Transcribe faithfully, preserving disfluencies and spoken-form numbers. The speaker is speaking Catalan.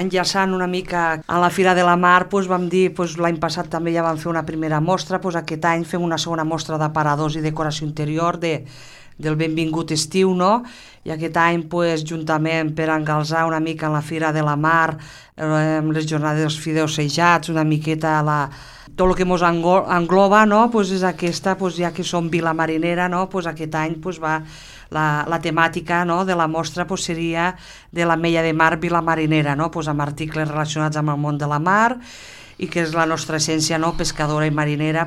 enllaçant una mica a la Fira de la Mar, doncs vam dir, doncs l'any passat també ja vam fer una primera mostra, doncs aquest any fem una segona mostra d'aparadors i decoració interior de, del benvingut estiu, no? I aquest any, doncs, juntament per engalzar una mica en la Fira de la Mar, eh, les jornades dels fideus sejats, una miqueta la, tot el que ens engloba, no? Pues és aquesta, pues ja que som Vila Marinera, no? Pues aquest any pues va la, la temàtica, no? De la mostra pues seria de la Mella de Mar Vila Marinera, no? Pues amb articles relacionats amb el món de la mar i que és la nostra essència, no? Pescadora i marinera.